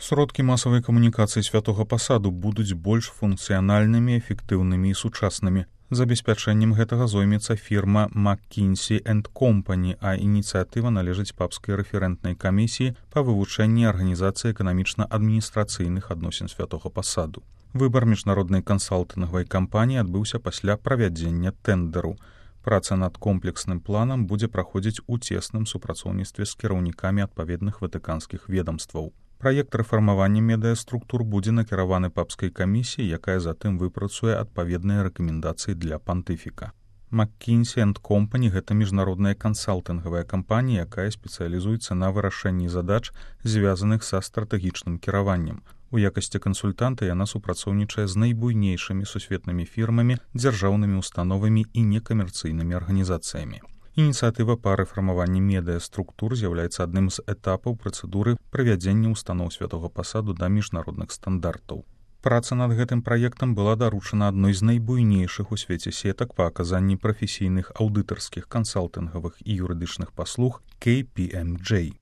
Сродкі масавай камунікацыі святога пасаду будуць больш функцыянальнымі, эфектыўнымі і сучаснымі. Забеспячэннем гэтага зоймецца фірма McKinsey & Company, а ініцыятыва належыць папскай рэферэнтнай камісіі па вывучэнні арганізацыі эканамічна-адміністрацыйных адносін святога пасаду. Выбар міжнароднай кансалтынгавай кампаніі адбыўся пасля правядзення тэндэру. Праца над комплексным планам будзе праходзіць у цесным супрацоўніцтве з кіраўнікамі адпаведных ватыканскіх ведамстваў. Праект рэфармавання медыаструктур будзе накіраваны папскай камісіяй, якая затым выпрацуе адпаведныя рэкамендацыі для пантыфіка. McKinsey & Company – гэта міжнародная кансалтынгавая кампанія, якая спецыялізуецца на вырашэнні задач, звязаных са стратэгічным кіраваннем. У якасці кансультанта яна супрацоўнічае з найбуйнейшымі сусветнымі фірмамі, дзяржаўнымі установамі і некамерцыйнымі арганізацыямі. Ініцыятыва па рэфармаванні медыаструктур з'яўляецца адным з этапаў працэдуры прывядзення ўстаноў святога пасаду да міжнародных стандартаў. Праца над гэтым праектам была даручана адной з найбуйнейшых у свеце сетак па аказанні прафесійных аўдытарскіх, кансалтынгавых і юрыдычных паслуг KPMG.